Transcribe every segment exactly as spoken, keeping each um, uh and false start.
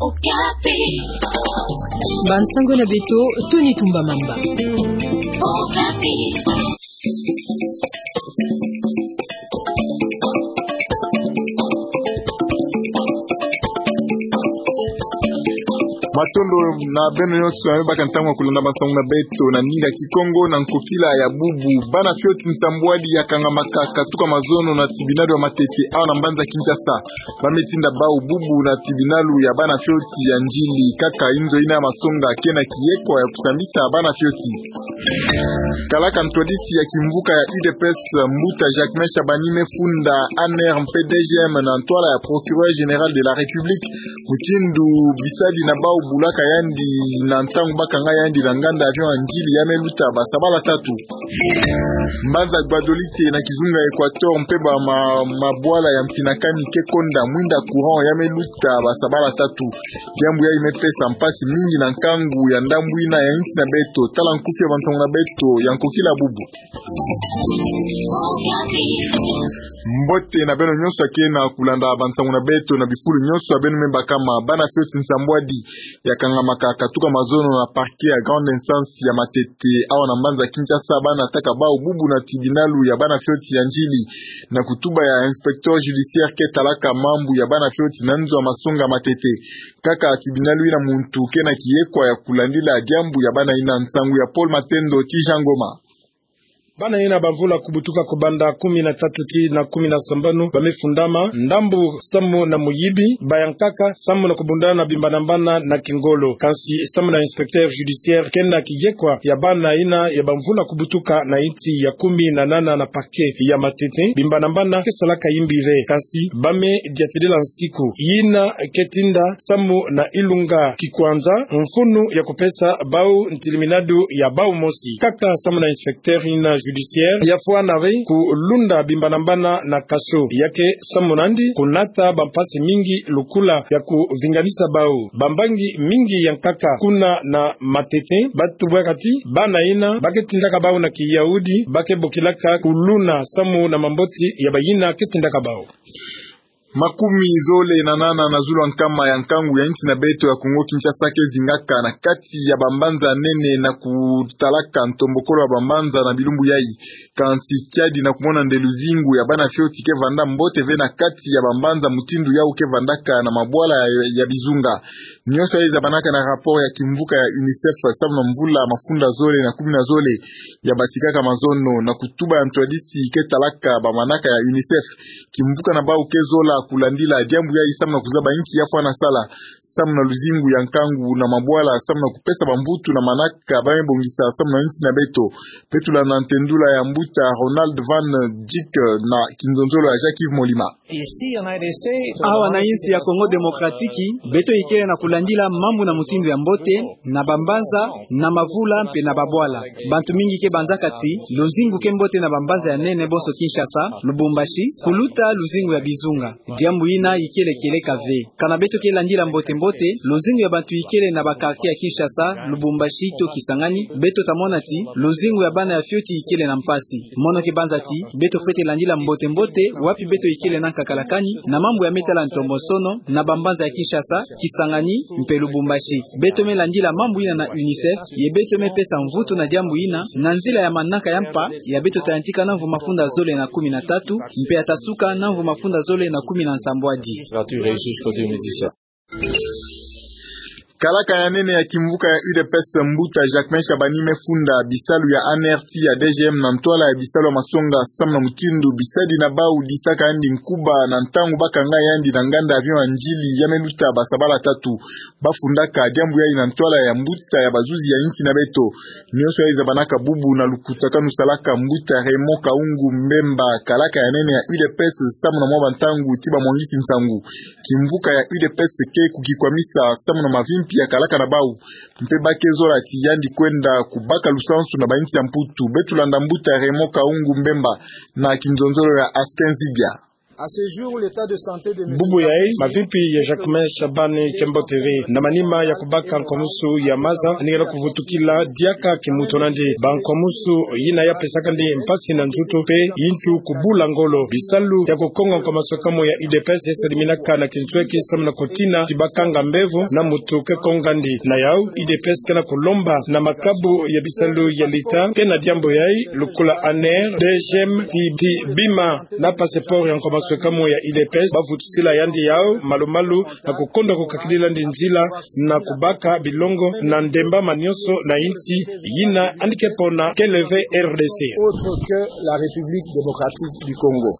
Okapi. Bansango na beto, Tony Tumba Mamba. Okapi. Matondo na beno nyonso, na beno baka ntangu ya kulanda bansango na beto na ninga Kikongo na nkokila ya bubu. Bana fioti nsambwadi ya kangamaka katuka mazono na tribunal ya matete awa na mbanza Kinshasa. Ba me tinda bau bubu na tribunal ya bana fioti ya ndjili, kaka inzo ina ya masonga ke na kiyekwa ya kusambisa bana fioti. Kalaka ntwadisi ya kimvuka ya U D P S, mbuta Jacquemain Shabani me funda A N R mpe D G M na ntwala ya Procureur Général de la République, mutindu bisadi na bau bulaka yandi na ntangu ba kanga yandi na nganda avion ya ndjili ya me luta ba sabala tatu. Mbanza Gbadolite na kizunga Equateur mpe ba ma-, mabwala ya Mfinakani ke konda mwinda courant ya me luta ba sabala tatu. Diambu yayi me pesa mpasi mingi na nkangu ya ndambu ina ya insi na beto. Tala nkufi ya bansango na beto ya nkokila bubu. Mbote na beno nyonso ya ke na kulanda bansango na beto na bifulu nyonso ya beno me bakama. Bana fioti nsambwadi ya kangamaka katuka mazono na parquet ya grande instance ya matete awa na mbanza Kinshasa, ba nataka bau bubu na tribunal ya bana fioti ya ndjili, na kutuba ya inspecteur judiciaire ke talaka mambu ya bana fioti na nzo ya masonga matete. Kaka tribunal ina muntu ke na kiyekwa ya kulandila diambu ya bana ina. Nsangu ya Paul Matendo ti Jean Ngoma. Bana ina ba mvula kubutuka kubanda kumi na tatu ti na kumi na sambanu ba me fundama, ndambu samu na muyibi, ba yankaka samu na kubundana bimbanambana na kingolo. Kansi samu na inspecteur judiciaire ke na kiyekwa ya bana ina ya ba mvula kubutuka na insi ya kumi na nana na parquet ya matete, bimbanambana ke salaka yimbire. Kansi ba me diatilila nsiku ina ke tinda samu na ilunga kikwanza mfunu ya kupesa bau ntiliminadu ya bau mosi. Kaka samu na inspecteur ina judiciaire, ya fwana ve kulunda bimbanambana na kasho, ya ke samu nandi kunata bampasi mingi lukula ya kuvinganisa bau. Bambangi mingi yankaka kuna na matete ba tubwaka ti bana ina ba ke tindaka bau na kiyahudi ba ke bokilaka kuluna samu na mamboti ya bayina ke tindaka bau. Makumi zole na nana na zulu ya nkama ya nkangu ya insi na beto ya Kongo Kinshasa ke zingaka na kati ya bambanza nene na kutalaka ntombokolo ya bambanza na bilumbu yayi. Kansi kiadi na kumona nde luzingu ya bana fioti ke vanda mbote ve na kati ya bambanza mutindu yau ke vandaka na mabwala ya, ya bizunga. Nyonso yayi zabanaka na rapport ya kimvuka ya UNICEF samu na mvula mafunda zole na kumi na zole ya basikaka mazono. Na kutuba ya ntwadisi ke talaka bamanaka ya UNICEF, kimvuka na bau ke zola kulandila diambu yayi samu na kuzaba inki ya fwana sala samu na luzingu ya nkangu na mabwala samu na kupesa bamvutu na manaka ba me bongisa samu na insi na beto. Beto landa ntendula ya mbuta Ronald Van Dijk na kinzonzolo ya Jacques-Yves Molima. Awa na insi ya Congo Démocratique, beto ikele na kulandila mambu na mutindu ya mbote, na bambanza, na mavula mpe na babwala. Bantu mingi ke banzaka ti luzingu ke mbote na bambanza ya nene bonso Kinshasa, Lubumbashi, kuluta luzingu ya bizunga. Diambu ina ikele kieleka ve. Kana beto ke landila mbote-mbote luzingu ya bantu ikele na ba quartier ya Kinshasa, Lubumbashi to Kisangani, beto ta mona ti luzingu ya bana ya fioti ikele na mpasi. Mono ke banza ti beto fwete landila mbote-mbote wapi beto ikele na nkakala kani na mambu ya me tala ntombosono na bambanza ya Kinshasa, Kisangani mpe Lubumbashi. Beto me landila mambu ina na UNICEF, ye beto me pesa mvutu na diambu ina na nzila ya manaka ya mpa ya beto ta yantika na mvu mafunda zole na kumi na tatu, mpe ya ta suka na mvu mafunda zole na kumi na nsambwadi. Kalaka ya nene ya kimvuka ya U D P S, mbuta Jacques-Main Shabani, me funda bisalu ya ANR ti ya DGM na ntwala ya bisalu ya masonga samu na mutindu bisadi na bau disaka yandi nkuba na ntangu ba kanga yandi na nganda avion ya ndili ya me luta ba sabala tatu. Ba fundaka diambu yayi na ntwala ya mbuta ya bazuzi ya insi na beto. Nyonso yayi zabanaka bubu na lukutakanu salaka mbuta Raymond Kahungu Mbemba, kalaka ya nene ya U D P S, samu na mwa bantangu ti bamwangisi nsangu. Kimvuka ya U D P S ke kukikwamisa samu na mavimpi ya kalaka na bau. Mpe ba ke zola ti yandi kwenda kubaka lusansu na ba insi ya Mputu. Beto landa mbuta Raymond Kahungu Mbemba na kinzonzolo ya Asken Zidia. Bubu yayi, mavimpi ya Jacquemain Shabani Kembo TV. Na manima ya kubaka nkwamusu ya maza, ningela kuvutukila diaka kimuntu nandi. Bankwamusu yina ya pesaka ndi mpasi na nzutu mpe yintu kubula ngolo. Bisalu ya kukonga nkwamusu kamo ya U D P S ya saliminaka na kintweki samu na kutina ti bakanga mbevo na muntu ke konga ndi. Na yawu, U D P S ke na kulomba na makabu ya bisalu ya leta ke na diambu yayi, lukula A N R, D G M, ti, ti bima na passeport ya nkwamusu kamo ya U D P S, bavutusila yandi yawu malu-malu, na kukondwa kukakilila ndi nzila na kubaka bilongo na ndembama nyonso na insi yina yandi ke pona, kele ve R D C. Autre que la République démocratique du Congo.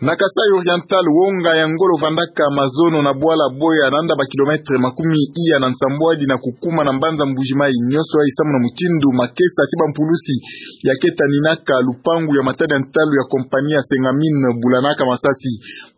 Na Kasaï Oriental, wonga ya ngolo vandaka mazono na bwala Boya, nanda ba kilomètre makumi iya na nsambwadi na kukuma na mbanza Mbuji-Mayi. Nyonso yayi samu na mutindu makesa ti bampulusi ya ke taninaka lupangu ya matadi ya ntalu ya compagnie ya Sengamine bulanaka masasi.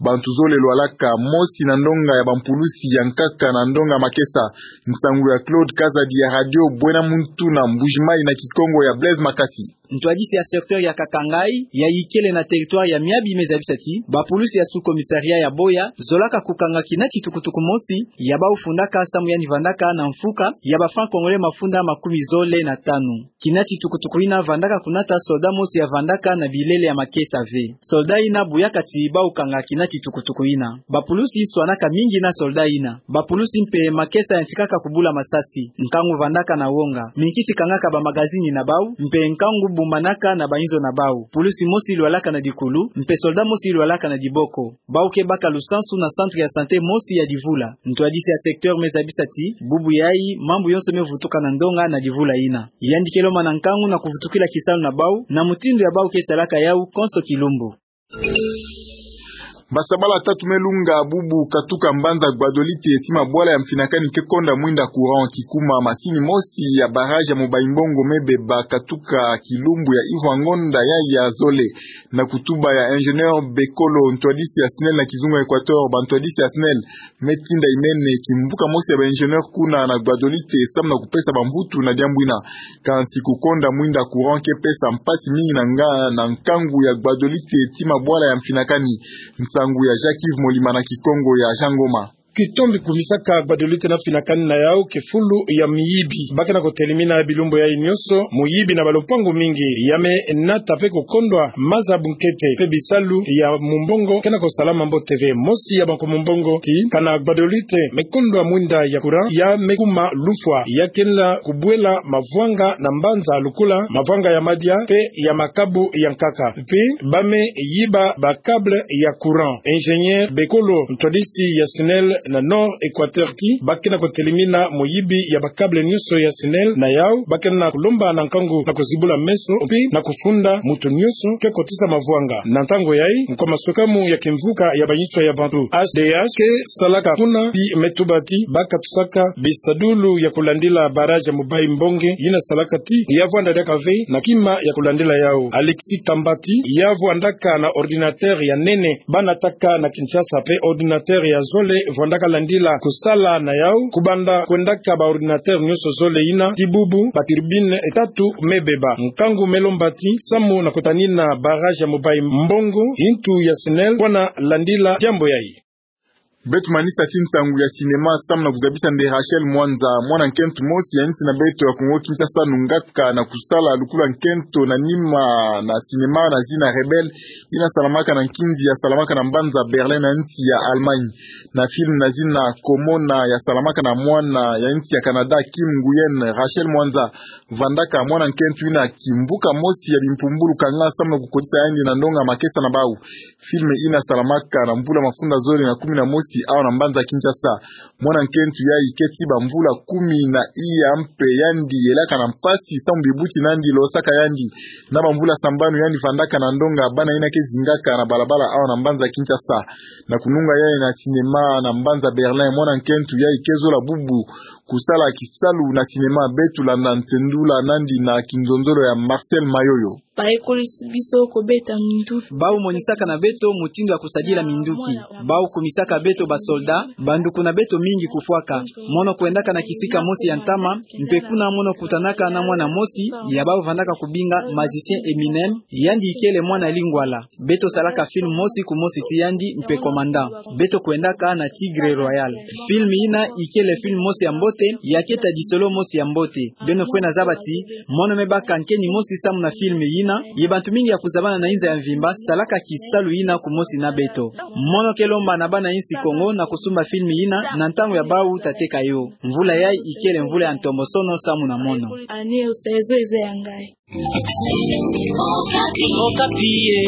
Bantu zole lwalaka, mosi na ndonga ya bampulusi ya nkaka na ndonga makesa. Nsangu ya Claude Kazadi ya Radio Bwena Muntu na Mbuji-Mayi na Kikongo ya Blaise Makasi. Ntwadisi ya secteur ya Kakangaï, yayi kele na territoire ya Miabi, me zabisa ti bapulusi ya sous-commissariat ya Boya zolaka kukanga kina ti tukutuku mosi ya bawu fundaka samu yandi vandaka na mfuka ya ba francs congolais mafunda makumi zole na tanu. Kina ti tukutuku yina vandaka kunata soldat mosi ya vandaka na bilele ya makesa ve. Soldat yina buyaka ti bawu kanga kina ti tukutuku yina. Bapulusi swanaka mingi na soldat yina. Bapulusi mpe makesa yantikaka kubula masasi nkangu vandaka na wonga. Minkiti kangaka bamagazini na bawu, mpe nkangu bumanaka na bayinzo na bawu. Pulusi mosi lwalaka na dikulu, mpe soldat mosi lwalaka na diboko. Bawu ke baka lusansu na centre ya santé mosi ya Divula. Ntwadisi ya secteur me zabisa ti bubu yayi mambu yonso me vutuka na ndonga na Divula yina. Yandi ke lomba na nkangu na kuvutukila kisalu na bawu, na mutindu ya bawu ke salaka yawu konso kilumbu. Basabala tatu me lunga, bubu katuka mbanza Gbadolite ti mabwala ya mfinakani ke konda mwinda courant. Kikuma masini mosi ya barrage ya Mobayi Mbongo me beba katuka kilumbu ya Yves Ngonda yayi ya zole. Na kutuba ya ingénieur Bekolo, ntwadisi ya SNEL na kizunga Equateur, bantwadisi ya SNEL me tinda imene kimvuka mosi ya ba ingénieur kuna na Gbadolite samu na kupesa bamvutu na diambu yina. Kansi kukonda mwinda courant ke pesa mpasi mingi na nga, na nkangu ya Gbadolite ti mabwala ya mfinakani. Nsangu ya Jacques Yves Molima na Kikongo ya Jean Ngoma. Kitombi kumisaka Gbadolite na mfinakani na yawu kifulu ya miyibi. Ba ke na kutelimina bilumbu yayi nyonso muyibi na balupangu mingi. Ya me nata mpe kukondwa maza bunkete, mpe bisalu ya mumbongo ke na kusalama mbote ve. Mosi ya banko mumbongo ti kana Gbadolite me kondwa mwinda ya courant ya me kuma lufwa, ya kenda kubwela mavwanga na mbanza lukula mavwanga ya madia mpe ya makabu ya nkaka. Mpe ba me yiba ba câble ya courant. Ingénieur Bekolo, ntwadisi ya SNEL na Nord Equateur, ti ba ke na kutelimina muyibi ya ba câble nyonso ya SNEL. Na yawu ba ke na kulomba na nkangu na kuzibula meso mpe na kufunda muntu nyonso ke kotisa mavwanga. Na ntangu yayi, nkwamaswekamu ya kimvuka ya bayinso ya bantu, H D H, ke salaka kuna, mpe me tuba ti ba katusaka bisadulu ya kulandila barrage ya Mobayi Mbongo yina salaka ti ya vwanda diaka ve na kima ya kulandila yawu. Alexis Kambati, ya vwandaka na ordinateur ya nene ba nataka na Kinshasa, mpe ordinateur ya zole vwandaka landila kusala na yawu, kubanda kwendaka ba ordinateur nyonso zole yina. Ti bubu, ba turbine tatu me beba. Nkangu me lomba ti samu na kutanina barrage ya Mobayi Mbongo, yintu ya SNEL pona landila diambu yayi. Beto manisa ti nsangu ya cinéma samu na kuzabisa nde Rachel Mwanza, mwana nkento mosi ya insi na beto ya Kongo Kinshasa, nungaka na kusala lukula nkento na nima na cinéma na zina Rebelle, yina salamaka na nkinzi ya salamaka na mbanza Berlin na insi ya Allemagne. Na film na zina Komona ya salamaka na mwana ya insi ya Canada, Kim Nguyen, Rachel Mwanza vandaka mwana nkento yina kimvuka mosi ya bimpumbulu kanga samu na kukotisa yandi na ndonga makesa na bawu. Film yina salamaka na mvula mafunda zole na kumi na mosi awa na mbanza Kinshasa. Mwana nkento yayi ke ti bamvula kumi na iya mpe yandi yelaka na mpasi samu bibuti na yandi losaka yandi. Na bamvula sambanu yandi vandaka na ndonga bana yina ke zingaka na balabala awa na mbanza Kinshasa. Na kununga yayi na cinéma na mbanza Berlin, mwana nkento yayi ke zola bubu kusala kisalu na cinéma. Beto landa ntendula na yandi na kinzonzolo ya Marcel Mayoyo. Bayekolisi biso kobeta minduki. Bawu monisaka na beto mutindu ya kusadila minduki. Bawu kumisaka beto basoldat, banduku na beto mingi kufwaka. Mono kwendaka na kisika mosi ya ntama, mpe kuna mono kutanaka na mwana mosi ya bavandaka kubinga magicien Eminem, yandi ikele mwana lingwala. Beto salaka film mosi kumosi ti yandi mpe commandant. Beto kwendaka na Tigre Royal. Film yina ikele film mosi ya mbote, ya keta disolo mosi ya mbote. Beno fwena zaba ti, mono me baka nkeni mosi samu na film yina, ye bantu mingi ya kuzabana na inza ya mvimba salaka kisalu yina kumosi na beto. Mono ke lomba na bana insi Kongo na kusumba film yina na ntangu ya bawu ta teka yo. Mvula yayi ikele mvula ya ntombosono samu na mono. Okapi, eh.